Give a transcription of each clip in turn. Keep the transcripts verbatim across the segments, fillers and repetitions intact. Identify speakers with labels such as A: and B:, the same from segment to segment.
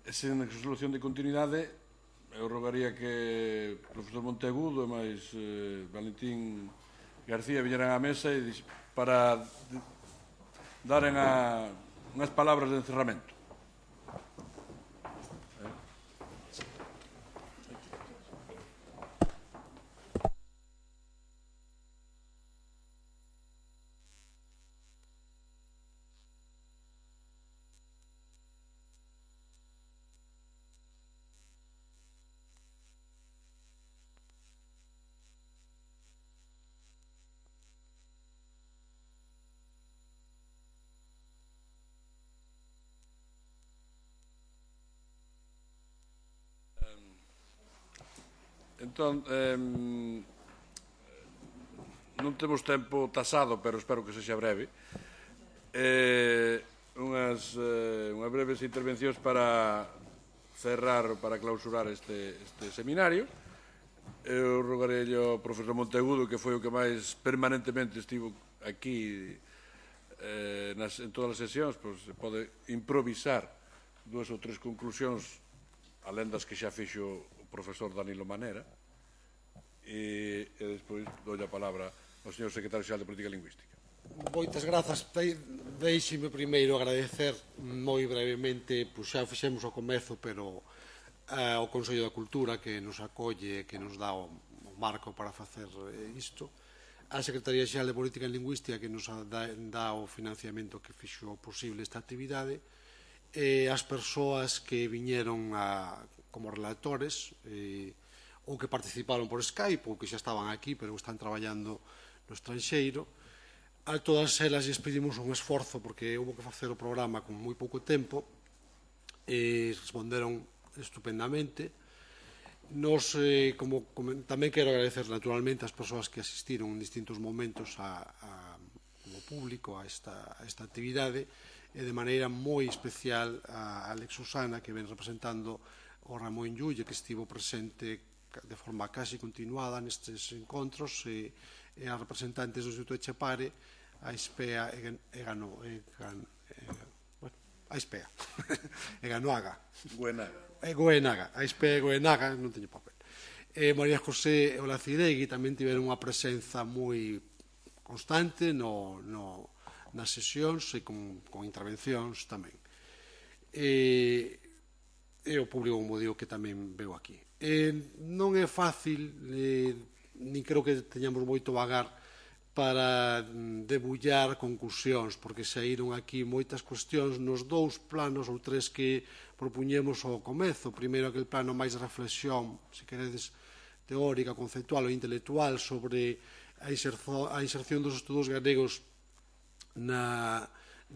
A: sen solución de continuidade, eu rogaría que o profesor Monteagudo e máis eh, Valentín García viñeran á mesa e para daren a, unhas palabras de encerramento. Entón, eh, non temos tempo tasado, pero espero que sexa breve. Eh, unhas, eh, unhas breves intervencións para cerrar, para clausurar este, este seminario. Eu rogarei ao profesor Monteagudo, que foi o que máis permanentemente estivo aquí eh, nas, en todas as sesións, pois, pode improvisar dúas ou tres conclusións, alén das que xa fixo o profesor Danilo Manera, e, e despois dou a palabra ao señor secretario xeral de Política Lingüística.
B: Moitas grazas. Deixime primeiro agradecer moi brevemente, pois xa fixemos ao comezo, pero eh, ao Consello da Cultura que nos acolle, que nos dá o, o marco para facer isto, a Secretaría Xeral de Política Lingüística que nos dá, dá o financiamento que fixo posible esta actividade, e as persoas que viñeron a, como relatores e, ou que participaron por Skype ou que xa estaban aquí pero están traballando no estranxeiro. A todas elas lles pedimos un esforzo porque houve que facer o programa con moi pouco tempo e responderon estupendamente. Nos, eh, como, como, tamén quero agradecer naturalmente as persoas que asistiron en distintos momentos a, a, como público a esta, a esta actividade e de maneira moi especial a Alex Susana, que ven representando o Ramón Llulle, que estivo presente de forma casi continuada nestes encontros, e, e a representantes do Instituto Echepare, a Ispea e, e Gano, e, gan, e, bueno, a Ispea e Ganoaga
A: Goenaga
B: e Goenaga, a Ispea e Goenaga, non teño papel, e María José e Olacidegui tamén tiveron unha presenza moi constante no, no, nas sesións e con, con intervencións tamén, e, e o público, como digo, que tamén veo aquí. Eh, non é fácil, eh, nin creo que teñamos moito vagar para debullar conclusións, porque saíron aquí moitas cuestións nos dous planos ou tres que propuñemos ao comezo. Primeiro, aquel plano máis de reflexión, se queredes, teórica, conceptual ou intelectual sobre a, inserzo, a inserción dos estudos galegos na,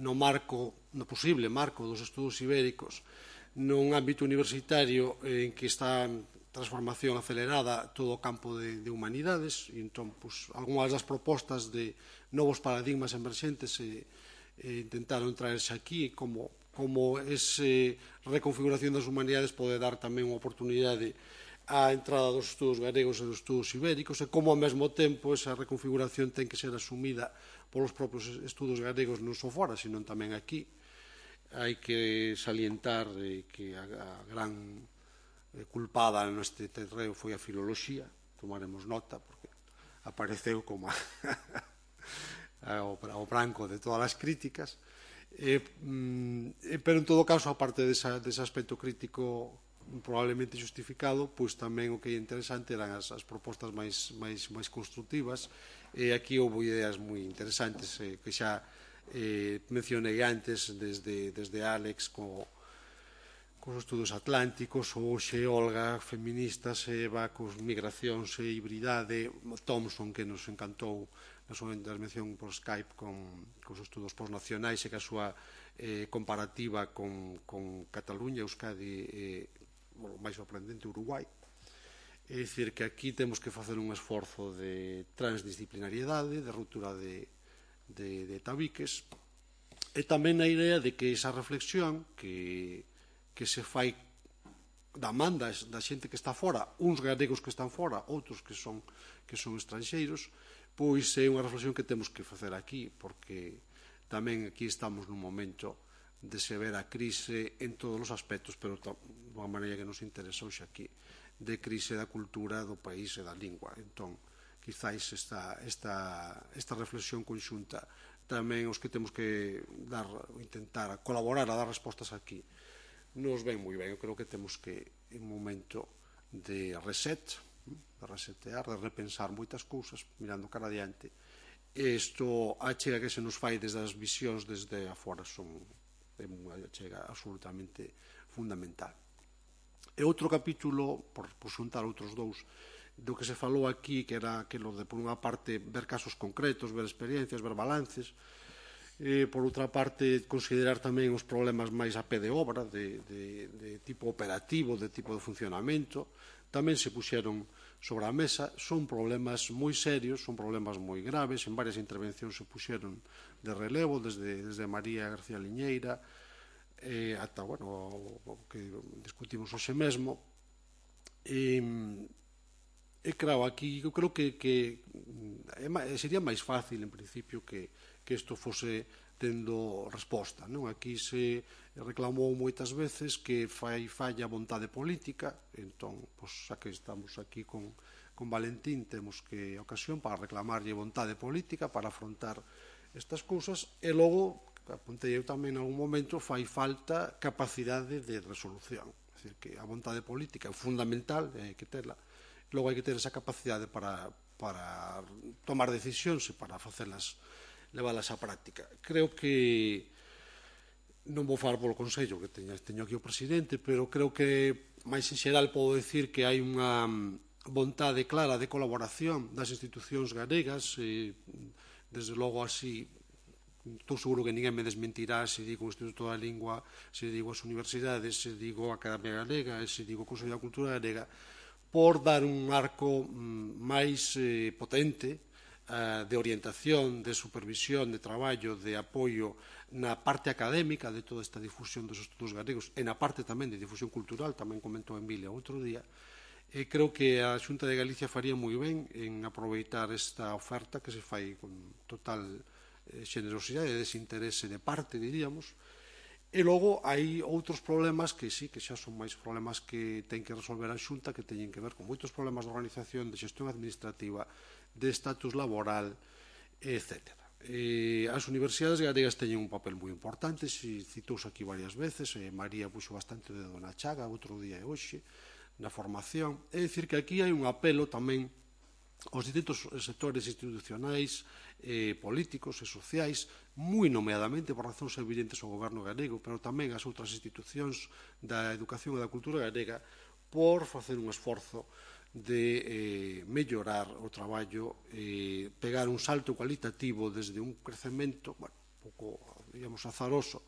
B: no marco, no posible marco dos estudos ibéricos, nun ámbito universitario en que está en transformación acelerada todo o campo de, de humanidades, e entón, pues, algunhas das propostas de novos paradigmas emerxentes e, e intentaron traerse aquí como, como esa reconfiguración das humanidades pode dar tamén unha oportunidade á entrada dos estudos galegos e dos estudos ibéricos, e como ao mesmo tempo esa reconfiguración ten que ser asumida polos propios estudos galegos non só fora, sino tamén aquí. Hai que salientar eh, que a, a gran eh, culpada neste terreo foi a filoloxía, tomaremos nota porque apareceu como a, a, o branco de todas as críticas, eh, mm, pero en todo caso, aparte desa, dese aspecto crítico probablemente justificado, pois tamén o que é interesante eran as, as propostas máis, máis, máis constructivas, e aquí houve ideas moi interesantes eh, que xa Eh, mencionei antes desde, desde Alex co, cos estudos atlánticos, ou xe Olga, feministas, Eva, cos migracións e hibridade, Thompson, que nos encantou na súa intervención por Skype con, cos estudos postnacionais e que a súa eh, comparativa con, con Cataluña, Euskadi e, bueno, máis sorprendente, Uruguai. É dicir, que aquí temos que facer un esforzo de transdisciplinariedade, de ruptura de De, de tabiques, e tamén a idea de que esa reflexión que, que se fai da manda da xente que está fora, uns galegos que están fora, outros que son, que son estranxeiros, pois é unha reflexión que temos que facer aquí, porque tamén aquí estamos nun momento de se ver a crise en todos os aspectos, pero de unha maneira que nos interesa hoxe aquí, de crise da cultura do país e da lingua. Entón, quizáis esta, esta, esta reflexión conxunta tamén os que temos que dar, intentar colaborar a dar respostas aquí nos ven moi ben. Eu creo que temos que en un momento de reset, de resetear, de repensar moitas cousas mirando cara adiante, e isto a chega que se nos fai desde as visións desde afora son unha chega absolutamente fundamental. E outro capítulo, por, por xuntar outros dous, do que se falou aquí, que era aquilo de, por unha parte, ver casos concretos, ver experiencias, ver balances, e, por outra parte, considerar tamén os problemas máis a pé de obra, de, de, de tipo operativo, de tipo de funcionamento, tamén se puxeron sobre a mesa. Son problemas moi serios, son problemas moi graves, en varias intervencións se puxeron de relevo, desde, desde María García Liñeira, eh, ata, bueno, o, o que discutimos hoxe mesmo. E, e claro, aquí eu creo que, que é, sería máis fácil, en principio, que, que isto fose tendo resposta, non? Aquí se reclamou moitas veces que fai falla a vontade política, entón, pois, xa que estamos aquí con, con Valentín, temos que ocasión para reclamarlle vontade política para afrontar estas cousas, e logo, apuntei eu tamén en algún momento, fai falta capacidade de resolución. É dicir, que a vontade política é fundamental, hai que terla, logo hai que ter esa capacidade para, para tomar decisións e para facelas, leválas á práctica. Creo que non vou falar polo Consello, que teño, teño aquí o presidente, pero creo que máis en xeral podo decir que hai unha vontade clara de colaboración das institucións galegas, e desde logo así estou seguro que ninguén me desmentirá se digo o Instituto da Lingua, se digo as universidades, se digo a Academia Galega, se digo o Consello da Cultura Galega, por dar un arco máis eh, potente eh, de orientación, de supervisión, de traballo, de apoio na parte académica de toda esta difusión dos estudos galegos e na parte tamén de difusión cultural, tamén comentou Emilia outro día. E creo que a Xunta de Galicia faría moi ben en aproveitar esta oferta que se fai con total eh, xenerosidade e desinterese de parte, diríamos. E logo hai outros problemas que sí, que xa son máis problemas que ten que resolver a Xunta, que teñen que ver con moitos problemas de organización, de xestión administrativa, de estatus laboral, etcétera. E as universidades galegas teñen un papel moi importante, se citouse aquí varias veces, e María puxo bastante de Dona Chaga outro día e hoxe, na formación. É dicir que aquí hai un apelo tamén aos distintos sectores institucionais, eh, políticos e sociais, moi nomeadamente por razóns evidentes ao goberno galego, pero tamén ás outras institucións da educación e da cultura galega, por facer un esforzo de eh, mellorar o traballo, eh, pegar un salto cualitativo desde un crecemento, bueno, un pouco, digamos, azaroso,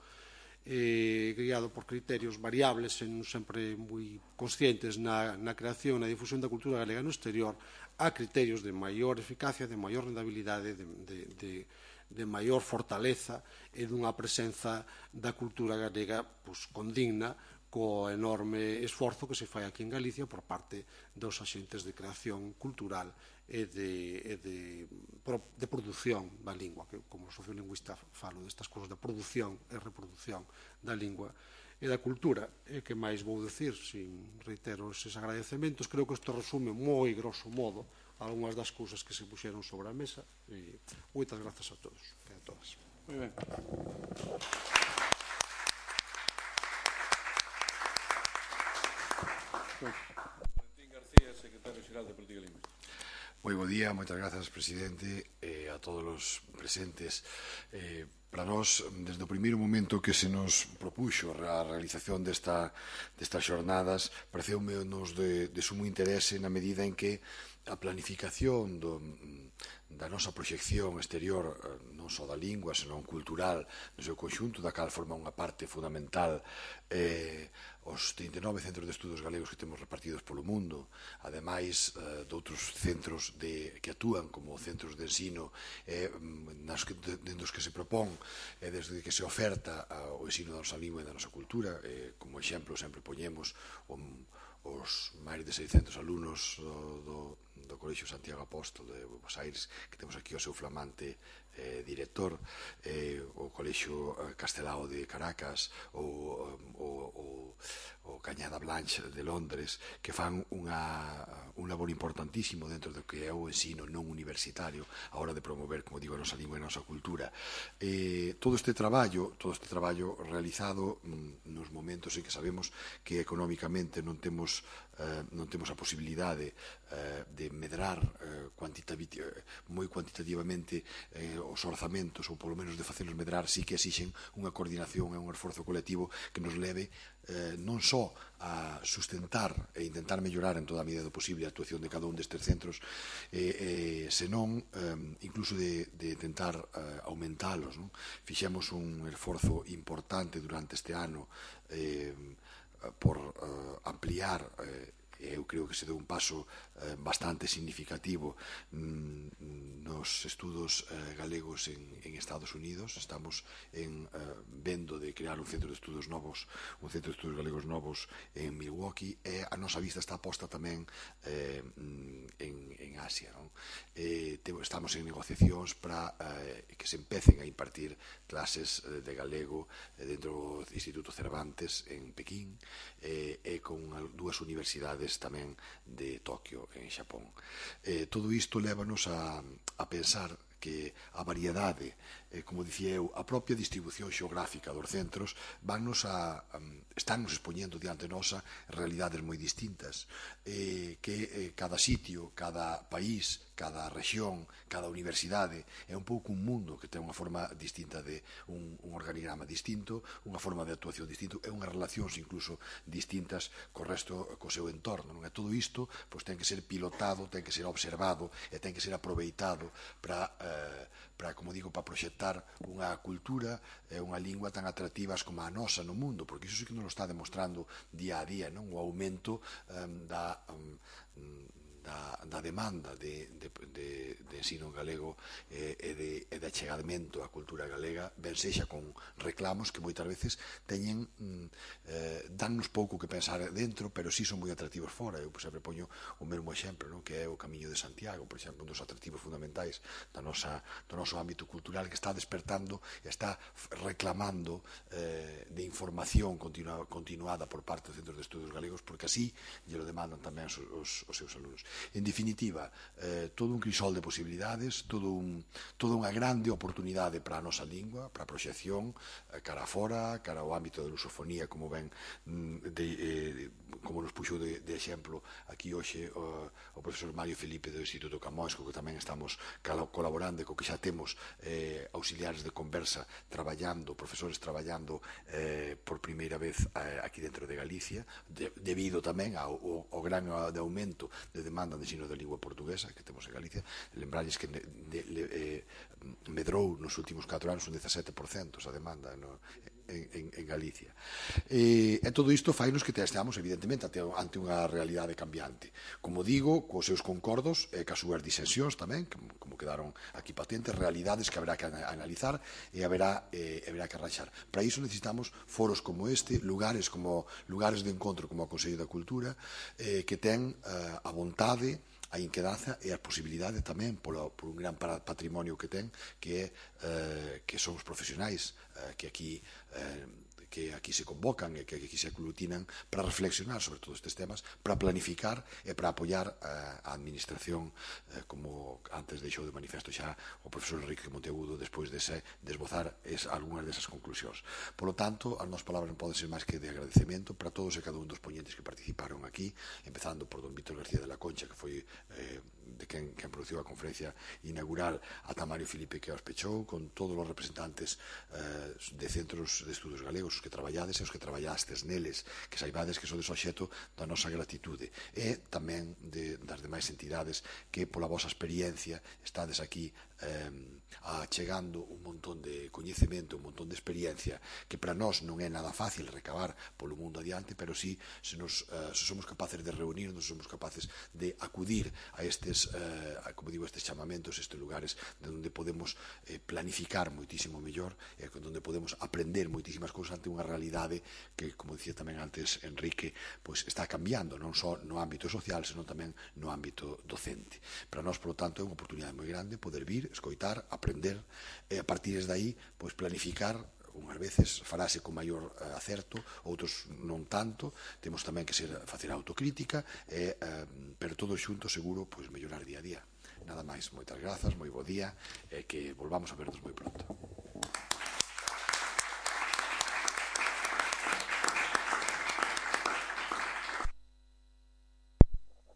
B: eh, guiado por criterios variables e non sempre moi conscientes na, na creación e na difusión da cultura galega no exterior, a criterios de maior eficacia, de maior rentabilidade, de, de, de, de maior fortaleza e dunha presenza da cultura galega pues, condigna co enorme esforzo que se fai aquí en Galicia por parte dos axentes de creación cultural e de, e de, de produción da lingua, que como sociolingüista falo destas cousas de produción e reproducción da lingua e da cultura. E que máis vou dicir, sin reitero esses agradecementos, creo que isto resume moi grosso modo algunhas das cousas que se puxeron sobre a mesa, e moitas grazas a todos e a todas.
A: Moi ben. Valentín García, secretario xeral de Política Lingüística.
C: Moi bo día, moitas grazas, presidente, e a todos os presentes. Eh, para nós, desde o primeiro momento que se nos propuxo a realización desta, destas xornadas, pareceume nos de, de sumo interese na medida en que a planificación do, da nosa proxección exterior, non só da lingua, senón cultural, no seu conxunto, da cal forma unha parte fundamental eh, os trinta e nove centros de estudos galegos que temos repartidos polo mundo, ademais eh, de outros centros de, que actúan como centros de ensino eh, nas que, de, de, dos que se propón eh, desde que se oferta a, o ensino da nosa lingua e da nosa cultura. Eh, como exemplo sempre poñemos o, os máis de seiscentos alumnos do, do, do Colexio Santiago Apóstol de Buenos Aires, que temos aquí o seu flamante eh, director, eh, o Colexio Castelao de Caracas, ou o, o, o Cañada Blanche de Londres, que fan unha, un labor importantísimo dentro do que é o ensino non universitario a hora de promover, como digo, a nosa lingua e a nosa cultura. Eh, todo este traballo, todo este traballo realizado mm, nos momentos en que sabemos que económicamente non temos Uh, non temos a posibilidade uh, de medrar uh, quantitativ moi cuantitativamente uh, os orzamentos, ou polo menos de facerlos medrar, sí que exixen unha coordinación e un esforzo colectivo que nos leve uh, non só a sustentar e intentar mellorar en toda a medida do posible a actuación de cada un destes centros, eh, eh, senón um, incluso de, de tentar uh, aumentalos, non? Fixemos un esforzo importante durante este ano eh, por uh, ampliar, eh, eu creo que se deu un paso eh, bastante significativo mm, nos estudos eh, galegos en, en Estados Unidos. Estamos en, eh, vendo de crear un centro de estudos novos, un centro de estudos galegos novos en Milwaukee, e a nosa vista está posta tamén eh, en, en Asia, non? Eh, te, estamos en negociacións para eh, que se empecen a impartir clases eh, de galego eh, dentro do Instituto Cervantes en Pequín, eh, e con dúas universidades tamén de Tokio, en Xapón. Eh, todo isto lévanos a, a pensar que a variedade, eh, como dicía eu, a propia distribución xeográfica dos centros vannos a, um, estánnos expoñendo diante nosa realidades moi distintas, eh, que eh, cada sitio, cada país, cada rexión, cada universidade é un pouco un mundo que ten unha forma distinta, de un, un organigrama distinto, unha forma de actuación distinto, e unhas relacións incluso distintas co resto, co seu entorno, non é? Todo isto pois, ten que ser pilotado, ten que ser observado e ten que ser aproveitado para, eh, para como digo, para proxectar unha cultura e unha lingua tan atractivas como a nosa no mundo, porque iso sí que nos lo está demostrando día a día, non? O aumento um, da um, Da, da demanda de, de, de, de ensino galego eh, e, de, e de achegamento á cultura galega, ben sexa con reclamos que moitas veces teñen mm, eh, dannos pouco que pensar dentro, pero sí son moi atractivos fora. Eu sempre poño o mesmo exemplo, non? Que é o Camiño de Santiago, por exemplo, un dos atractivos fundamentais da nosa, do noso ámbito cultural, que está despertando e está reclamando eh, de información continua, continuada por parte dos centros de estudos galegos, porque así lle lo demandan tamén os, os, os seus alumnos. En definitiva, eh, todo un crisol de posibilidades, todo un, toda unha grande oportunidade para a nosa lingua, para a proxección, eh, cara a fora, cara ao ámbito da lusofonía, como ven, de, eh, como nos puxo de, de exemplo aquí hoxe o, o profesor Mario Felipe do Instituto Camões, co que tamén estamos colaborando e co que xa temos eh, auxiliares de conversa traballando, profesores traballando eh, por primeira vez eh, aquí dentro de Galicia, de, debido tamén ao, ao, ao gran de aumento de demanda de ensino da lingua portuguesa que temos en Galicia. Lembralles que de, de, de, eh, medrou nos últimos catro anos un dezasete por cento a demanda no, en, en, en Galicia. E, e todo isto fainos que esteamos, evidentemente, ante, ante unha realidade cambiante. Como digo, cos seus concordos e cas súas disensións tamén, que, como quedaron aquí patentes, realidades que haberá que analizar e haberá, eh, haberá que arranxar. Para iso necesitamos foros como este, lugares como lugares de encontro como o Consello da Cultura, eh, que ten eh, a vontade, a inquedanza e a posibilidade tamén polo, por un gran patrimonio que ten, que é eh, que son os profesionais eh, que aquí eh, que aquí se convocan e que aquí se aglutinan para reflexionar sobre todos estes temas, para planificar e para apoiar a administración, eh, como antes deixou de manifesto xa o profesor Enrique Monteagudo despois de se desbozar es, algunhas desas conclusións. Por lo tanto, as nosas palabras non poden ser máis que de agradecemento para todos e cada un dos poñentes que participaron aquí, empezando por don Víctor García de la Concha, que foi eh, de quen, quen produciu a conferencia inaugural, ata Mario Felipe, que os pechou, con todos os representantes eh, de centros de estudos galegos que traballades e os que traballastes neles, que saibades que sodes obxecto da nosa gratitude, e tamén de, das demais entidades que pola vosa experiencia estades aquí achegando un montón de coñecemento, un montón de experiencia que para nós non é nada fácil recabar polo mundo adiante, pero sí, se, nos, uh, se somos capaces de reunirnos, somos capaces de acudir a estes, uh, a, como digo, estes chamamentos, estes lugares de onde podemos eh, planificar moitísimo mellor, e eh, onde podemos aprender moitísimas cousas ante unha realidade que, como dicía tamén antes Enrique, pois está cambiando, non só no ámbito social, senón tamén no ámbito docente. Para nós, por lo tanto, é unha oportunidade moi grande poder vir, escoitar, aprender, e a partir de aí, pois planificar. Unhas veces farase con maior uh, acerto, outros non tanto, temos tamén que ser, facer autocrítica, e, uh, pero todo xunto seguro pois mellorar día a día. Nada máis, moitas grazas, moi bo día, e que volvamos a vernos moi pronto.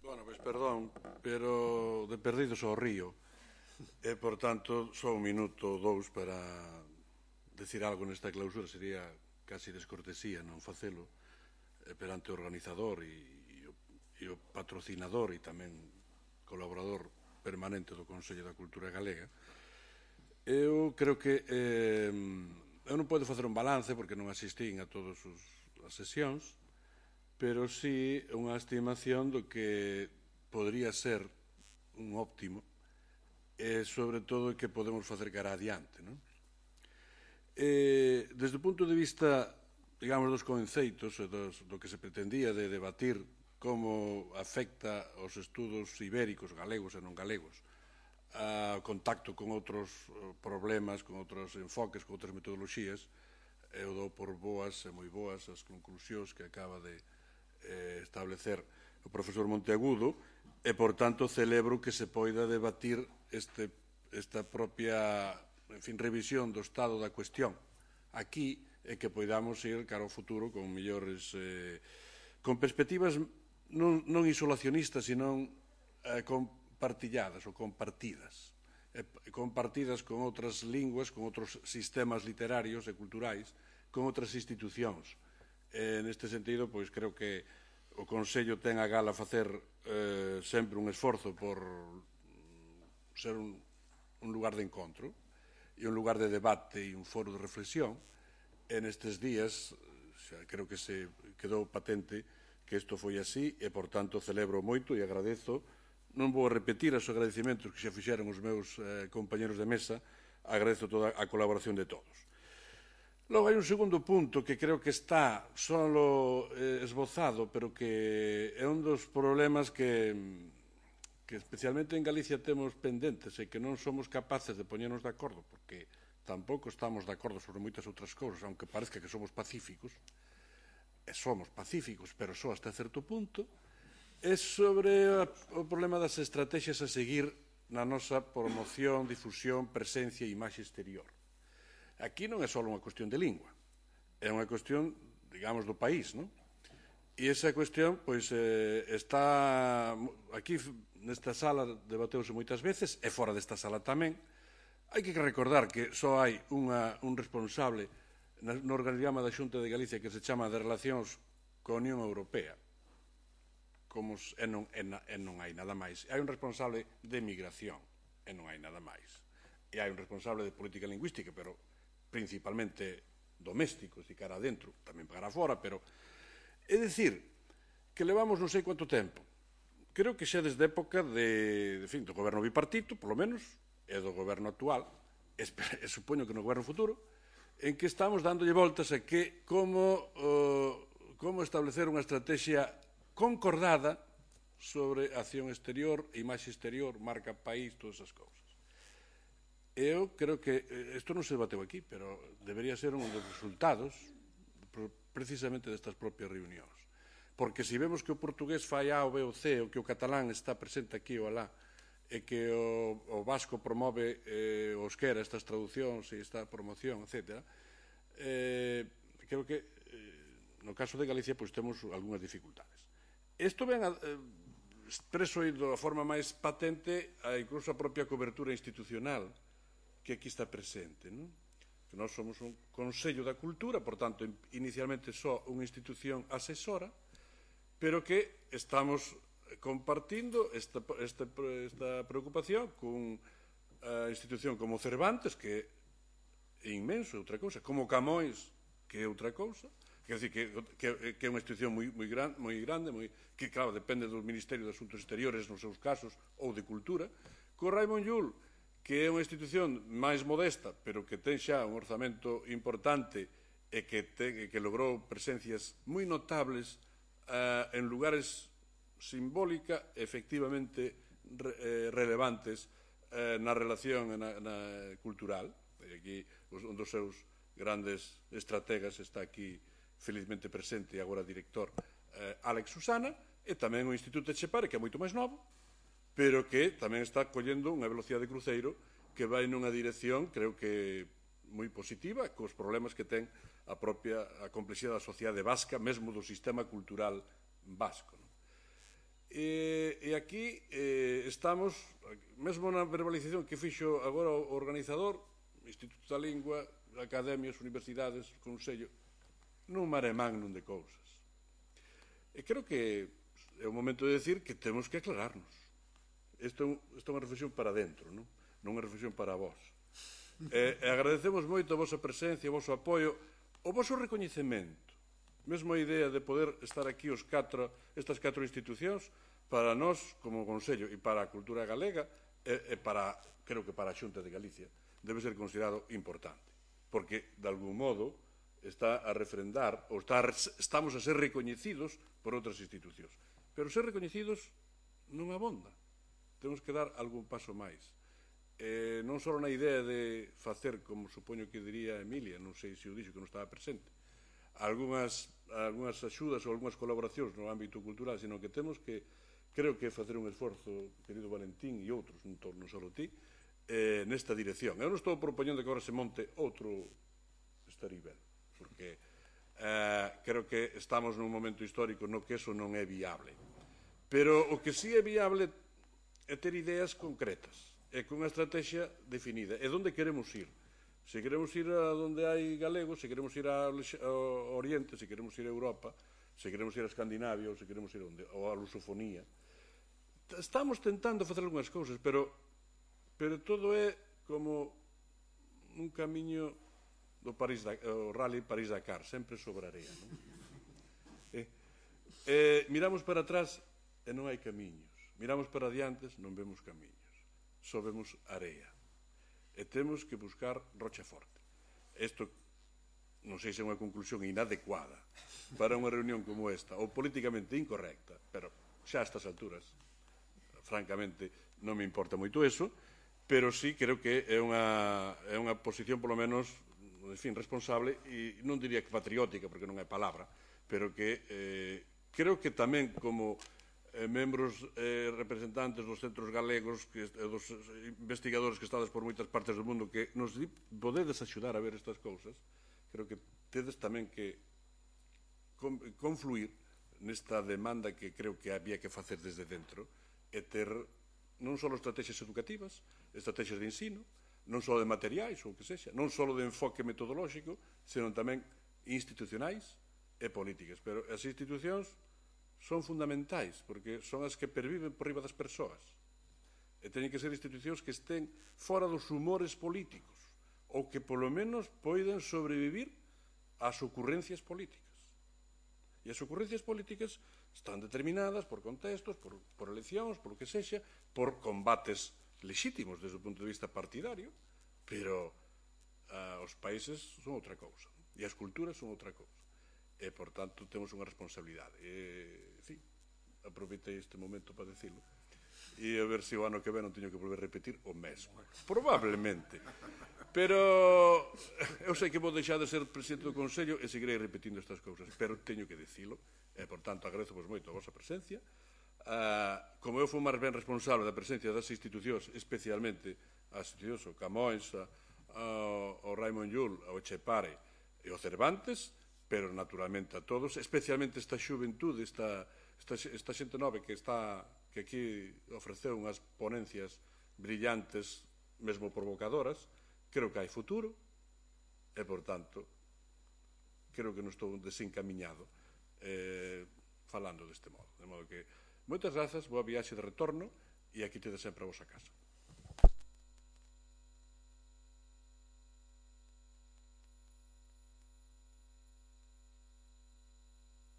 A: Bueno, pois perdón, pero de perdidos ao río, e, por tanto, só un minuto ou dous para decir algo nesta clausura. Sería casi descortesía non facelo perante o organizador e, e, o, e o patrocinador e tamén colaborador permanente do Consello da Cultura Galega. Eu creo que eh, eu non podo facer un balance porque non asistín a todas as sesións, pero sí unha estimación do que podría ser un óptimo e, sobre todo, que podemos facer cara adiante, non? Eh, desde o punto de vista, digamos, dos conceitos e dos, do que se pretendía de debatir como afecta os estudos ibéricos, galegos e non galegos, a contacto con outros problemas, con outros enfoques, con outras metodoloxías, eu dou por boas e moi boas as conclusións que acaba de eh, establecer o profesor Monteagudo, e, por tanto, celebro que se poida debatir este, esta propia, en fin, revisión do estado da cuestión aquí, e que poidamos ir cara ao futuro con mellores, eh, con perspectivas non, non isolacionistas, sino eh, compartilladas ou compartidas, eh, compartidas con outras linguas, con outros sistemas literarios e culturais, con outras institucións. Eh, neste sentido, pois, creo que o Consello ten a gala facer eh, sempre un esforzo por ser un, un lugar de encontro e un lugar de debate e un foro de reflexión. En estes días, xa creo que se quedou patente que isto foi así e, por tanto, celebro moito e agradezo. Non vou repetir os agradecimentos que xa fixeron os meus eh, compañeros de mesa, agradezo toda a colaboración de todos. Logo, hai un segundo punto que creo que está solo eh, esbozado, pero que é un dos problemas que, que especialmente en Galicia temos pendentes e que non somos capaces de poñernos de acordo, porque tampouco estamos de acordo sobre moitas outras cousas, aunque parezca que somos pacíficos, e somos pacíficos, pero só hasta certo punto, é sobre a, o problema das estrategias a seguir na nosa promoción, difusión, presencia e imaxe exterior. Aquí non é só unha cuestión de lingua, é unha cuestión, digamos, do país, non? E esa cuestión, pois, eh, está aquí nesta sala debateuse moitas veces, e fora desta sala tamén. Hai que recordar que só hai unha, un responsable no organigrama da Xunta de Galicia que se chama de Relacións coa Unión Europea, como, e, non, e, e non hai nada máis. Hai un responsable de migración, e non hai nada máis. E hai un responsable de política lingüística, pero principalmente domésticos e cara adentro, tamén para fora, pero é dicir que levamos non sei quanto tempo. Creo que xa desde época de, de fin, do goberno bipartito, polo menos, e do goberno actual, e, e supoño que no goberno futuro, en que estamos dándolle voltas a que como, uh, como establecer unha estrategia concordada sobre acción exterior, imaxe exterior, marca país, todas esas cousas. Eu creo que isto non se debateu aquí, pero debería ser un dos resultados precisamente destas propias reunións. Porque se vemos que o portugués fai A, o B, o C, o que o catalán está presente aquí ou alá, e que o, o vasco promove eh, o euskera, estas traducións e esta promoción, etcétera, eh, creo que eh, no caso de Galicia pois temos algunhas dificultades. Isto ven a, eh, expreso da forma máis patente a incluso a propia cobertura institucional que aquí está presente, non? Que nós somos un Consello da Cultura, por tanto, inicialmente só unha institución asesora, pero que estamos compartindo esta, esta, esta preocupación con a institución como Cervantes, que é inmenso, é outra cousa, como Camões, que é outra cousa, quer dizer, que, que, que é unha institución moi, moi, gran, moi grande, moi, que, claro, depende do Ministerio de Asuntos Exteriores nos seus casos, ou de Cultura, co Raimon Llull, que é unha institución máis modesta, pero que ten xa un orzamento importante e que, te, que logrou presencias moi notables uh, en lugares simbólica, efectivamente re, eh, relevantes eh, na relación na, na cultural. E aquí un dos seus grandes estrategas está aquí felizmente presente e agora director eh, Alex Susana, e tamén o Instituto Etxepare, que é moito máis novo, pero que tamén está collendo unha velocidade de cruceiro que vai nunha dirección, creo que moi positiva, cos problemas que ten a propia a complexidade da sociedade vasca, mesmo do sistema cultural vasco. Non? E, e aquí eh, estamos, mesmo na verbalización que fixo agora o organizador, Instituto da Lingua, academias, universidades, consello, nun mare magnum de cousas. E creo que é o momento de decir que temos que aclararnos. Isto é unha reflexión para dentro, non? Non unha reflexión para vós. E, e agradecemos moito a vosa presencia, o voso apoio, o voso recoñecemento. Mesmo a idea de poder estar aquí os catro, estas catro institucións, para nós, como Consello, e para a cultura galega, e, e para, creo que para a Xunta de Galicia, debe ser considerado importante, porque, de algún modo, está a refrendar, ou está a, estamos a ser recoñecidos por outras institucións. Pero ser recoñecidos non abonda. Temos que dar algún paso máis. Eh, non só na idea de facer, como supoño que diría Emilia, non sei se o dixo que non estaba presente, algunhas, algunhas axudas ou algunhas colaboracións no ámbito cultural, sino que temos que, creo que facer un esforzo, querido Valentín e outros, non, non só ti, eh, nesta dirección. Eu non estou propoñendo que agora se monte outro Estaribel, porque eh, creo que estamos nun momento histórico no que eso non é viable. Pero o que sí é viable é ter ideas concretas, e con unha estrategia definida. E onde queremos ir? Se queremos ir a onde hai galegos, se queremos ir ao Oriente, se queremos ir a Europa, se queremos ir a Escandinavia, ou se queremos ir onde, ou a lusofonía. Estamos tentando facer algunhas cousas, pero pero todo é como un camiño do París, o Rally París-Dakar, sempre sobre areia. Non? E, e, miramos para atrás e non hai camiños. Miramos para adiantes, non vemos camiños. Só vemos areia. E temos que buscar rocha forte. Isto non sei se é unha conclusión inadecuada para unha reunión como esta, ou políticamente incorrecta, pero xa a estas alturas, francamente, non me importa moito eso, pero sí creo que é unha, é unha posición, polo menos, en fin, responsable, e non diría que patriótica, porque non é palabra, pero que eh, creo que tamén como eh, membros eh, representantes dos centros galegos, que, eh, dos investigadores que estades por moitas partes do mundo, que nos podedes axudar a ver estas cousas, creo que tedes tamén que confluir nesta demanda que creo que había que facer desde dentro e ter non só estrategias educativas, estrategias de ensino, non só de materiais ou o que sexa, non só de enfoque metodolóxico, senón tamén institucionais e políticas. Pero as institucións son fundamentais, porque son as que perviven por riba das persoas. E teñen que ser institucións que estén fora dos humores políticos, ou que polo menos poidan sobrevivir ás ocurrencias políticas. E as ocurrencias políticas están determinadas por contextos, por, por eleccións, por o que sexa, por combates lexítimos desde o punto de vista partidario, pero uh, os países son outra cousa, e as culturas son outra cousa. E, por tanto, temos unha responsabilidade. E, en fin, aproveitei este momento para decirlo. E a ver se o ano que ven non teño que volver a repetir o mesmo. Probablemente. Pero eu sei que vou deixar de ser presidente do Consello e seguirei repetindo estas cousas, pero teño que dicilo, e, por tanto, agradezo-vos moito a vosa presencia. Uh, como eu fui máis ben responsable da presencia das institucións, especialmente as institucións, o Camões, o Raimon Llull, o Etxepare e o Cervantes, pero naturalmente a todos, especialmente esta xuventude, esta, esta, esta xente nove que está que aquí ofreceu unhas ponencias brillantes, mesmo provocadoras. Creo que hai futuro e, por tanto, creo que non estou desencamiñado eh, falando deste modo. De modo que, moitas grazas, boa viaxe de retorno e aquí tedes sempre a vosa casa.